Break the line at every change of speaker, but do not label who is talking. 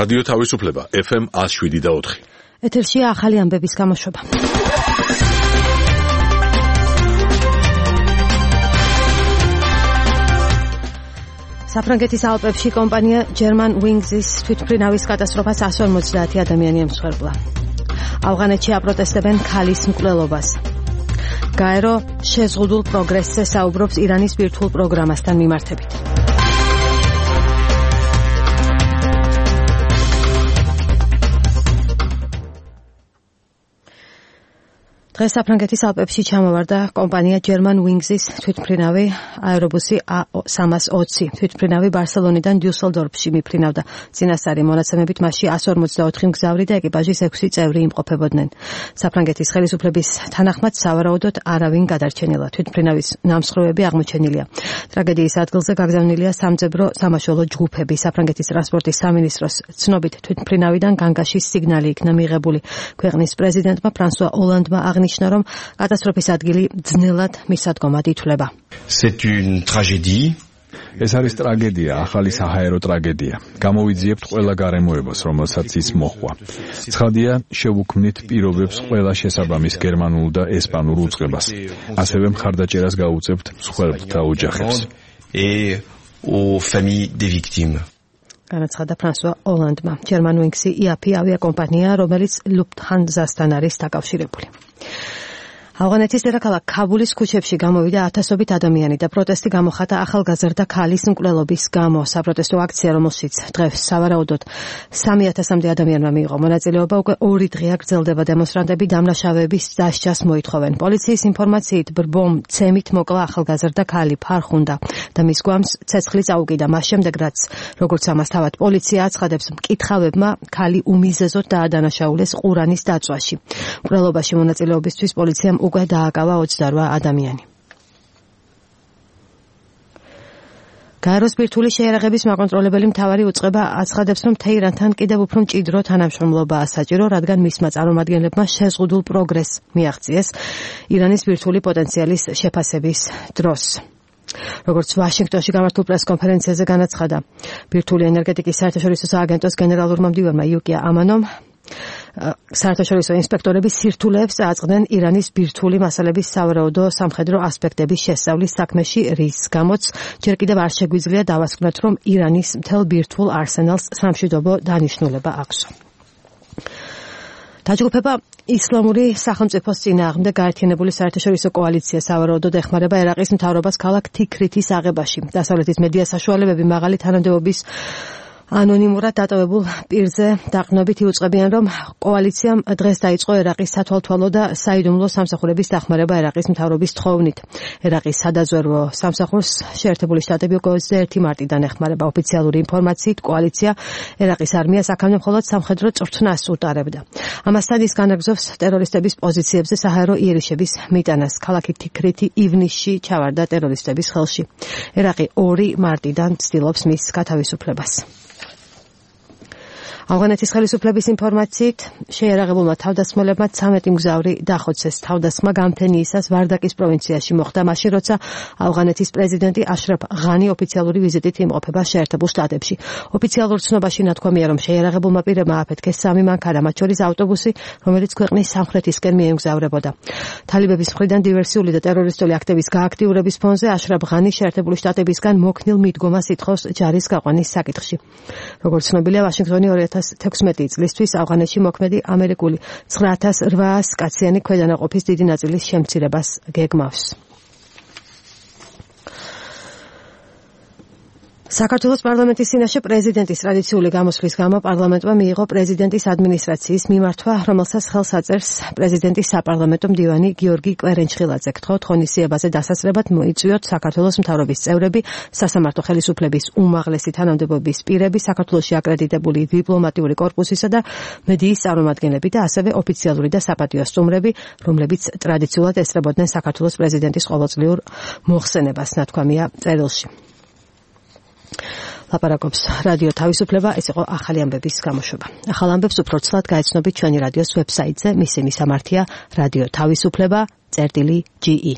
რადიო თავისუფლება FM 107.4.
ეთერშია ახალი ამბების გამოშვება. საფრანგეთის ალპებში კომპანია German Wings-ის თვითმფრინავის კატასტროფას 150 ადამიანი ემსხვერპლა. ავღანეთში აპროტესტებენ ქალის მკვლელობას. გაერო შეზღუდულ პროგრესზე საუბრობს ირანის ბირთვულ პროგრამასთან მიმართებით. დღეს საფრანგეთის ალპებში ჩამოვარდა კომპანია German Wings-ის თვითმფრინავი აერობუსი A320. თვითმფრინავი ბარსელონიდან დიუსელდორფში მიფრინავდა. წინასწარი მონაცემებით მასში 154 მგზავრი და ეკიპაჟის 6 წევრი იმყოფებოდნენ. საფრანგეთის ხელისუფლების თანახმად სავარაუდოდ არავინ გადარჩენილა. თვითმფრინავის ნამსხვრევები აღმოჩენილია. ტრაგედიის ადგილზე გაგზავნილია სამძებრო სამაშველო ჯგუფები. საფრანგეთის ტრანსპორტის სამინისტროს ცნობით თვითმფრინავიდან განგაშის სიგნალი იქნა მიღებული. ქვეყნის პრეზიდენტმა ფრანსუა ოლანდმა აღნიშნა, რომ კატასტროფის ადგილი ძნელად მისადგომად ითვლება.
C'est une tragédie.
ეს არის ტრაგედია, ახალი საჰაერო ტრაგედია. გამოვიძიებთ ყველა გარემოებას, რომელსაც ის მოჰყვა. ცხადია, შევუქმნით პირობებს ყველა შესაბამის გერმანულ და ესპანურ უწყებას. ასევე მხარდაჭერას გაუწევთ მსხვერპლთა ოჯახებს.
Et aux familles des victimes.
განაცხადა ფრანსუა ოლანდმა. German Wings-ი IAPI ავიაკომპანია, რომელიც Lufthansa-სთან არის დაკავშირებული. ავღანეთის დედაქალაქ ქაბულის ქუჩებში გამოვიდა ათასობით ადამიანი და პროტესტი გამოხატა ახალგაზრდა ქალის მკვლელობის გამო. საპროტესტო აქცია, რომელშიც დღეს სავარაუდოდ 3000-მდე ადამიანმა მიიღო მონაწილეობა, უკვე 2 დღეა გრძელდება. დემონსტრანტები დამნაშავეების დასჯას მოითხოვენ. პოლიციის ინფორმაციით ბრბომ ცემით მოკლა ახალგაზრდა ქალი ფარხუნდა და მის გვამს ცეცხლი წაუკიდა. მას შემდეგ, რაც როგორც ამას თავად პოლიცია აცხადებს, მკითხავებმა ქალი უმიზეზოდ დაადანაშაულეს ყურანის დაწვაში. მკვლელობაში მონაწილეობისთვის პოლიციამ უკვე დააკავა 28 ადამიანი. გაეროს ბირთვული შეიარაღების მაკონტროლებელი მთავარი უწყება აცხადებს, რომ თეირანთან კიდევ უფრო მჭიდრო თანამშრომლობაა საჭირო, რადგან მისმა წარმომადგენლებმა შეზღუდულ პროგრესს მიაღწიეს ირანის ბირთვული პოტენციალის შეფასების დროს. როგორც ვაშინგტონში გამართულ პრესკონფერენციაზე განაცხადა ბირთვული ენერგეტიკის საერთაშორისო სააგენტოს გენერალურმა მდივანმა იუკია ამანომ, საერთაშორისო ინსპექტორები სირთულეებს წააწყდნენ ირანის ბირთვული მასალების სავარაუდო სამხედრო ასპექტების შესწავლის საქმეში, რის გამოც ჯერ კიდევ არ შეგვიძლია დავასკვნათ, რომ ირანის მთელ ბირთვულ არსენალს სამშვიდობო დანიშნულება აქვს. დაჯგუფება ისლამური სახელმწიფოს წინააღმდეგ გაერთიანებული საერთაშორისო კოალიცია სავარაუდოდ ეხმარება ერაყის მთავრობას ქალაქ თიქრითის აღებაში. დასავლეთის მედია საშუალებები მაღალი თანამდებობის ანონიმურად დატოვებულ პირზე დაყრდნობით იუწყებიან, რომ კოალიციამ დღეს დაიწყო ერაყის სათვალთვალო და საიდუმლო სამსახურების დახმარება ერაყის მთავრობის თხოვნით. ერაყის სადაზვერვო სამსახურს შეერთებული შტატები 21 მარტიდან ეხმარება. ოფიციალური ინფორმაციით კოალიცია ერაყის არმიას აქამდე მხოლოდ სამხედრო წვრთნას უტარებდა. ამასთან ის განაგრძობს ტერორისტების პოზიციებზე საჰაერო იერიშების მიტანას. ქალაქი თიქრითი ივნისში ჩავარდა ტერორისტების ხელში. ერაყი 2 მარტიდან ცდილობს მის გათავისუფლებას. ავღანეთის ხელისუფლების ინფორმაციით შეიარაღებულმა თავდასხმელებმა 13 მგზავრი დახოცეს. თავდასხმა გამთენიისას ვარდაკის პროვინციაში მოხდა, მაშინ როცა ავღანეთის პრეზიდენტი აშრაფ ღანი ოფიციალური ვიზიტით იმყოფება შეერთებულ შტატებში. ოფიციალურ ცნობაში ნათქვამია, რომ შეიარაღებულმა პირებმა აფეთქეს 3 მანქანა, მათ შორის ავტობუსი, რომელიც ქვეყნის სამხრეთისკენ მიემგზავრებოდა. თალიბების მხრიდან დივერსიული და ტერორისტული აქტების გააქტიურების ფონზე აშრაფ ღანი შეერთებული შტატებისგან მოქნილ მიდგომას ითხოვს ჯარის გაყვანის საკითხში. როგორც ცნობილია, ვაშინგტონი 2016 წლისთვის ავღანეთში მოქმედი ამერიკული 9800 კაციანი ქვედანაყოფის დიდი ნაწილის შემცირებას გეგმავს. საქართველოს პარლამენტის წინაშე პრეზიდენტის ტრადიციული გამოსვლის გამო პარლამენტმა მიიღო პრეზიდენტის ადმინისტრაციის მიმართვა, რომელსაც ხელს აწერს პრეზიდენტის საპარლამენტო მდივანი გიორგი კვერენჩხილაძე. გთხოვთ ღონისძიებაზე დასასრებად მოიწვიოთ საქართველოს მთავრობის წევრები, სასამართლო ხელისუფლების უმაღლესი თანამდებობის პირები, საქართველოში აკრედიტებული დიპლომატიური კორპუსისა და მედიის წარმომადგენლები და ასევე ოფიციალური და საპატიო სტუმრები, რომლებიც ტრადიციულად ესწრებოდნენ საქართველოს პრეზიდენტის ყოველწლიურ მოხსენებას, ნათქვამია წერილში. ლაპარაკობს რადიო თავისუფლება, ეს იყო ახალი ამბების გამოშვება. ახალ ამბებს უფრო ცლად გაეცნობით ჩვენი რადიოს ვებსაიტზე, მისი მისამართია რადიო თავისუფლება.ge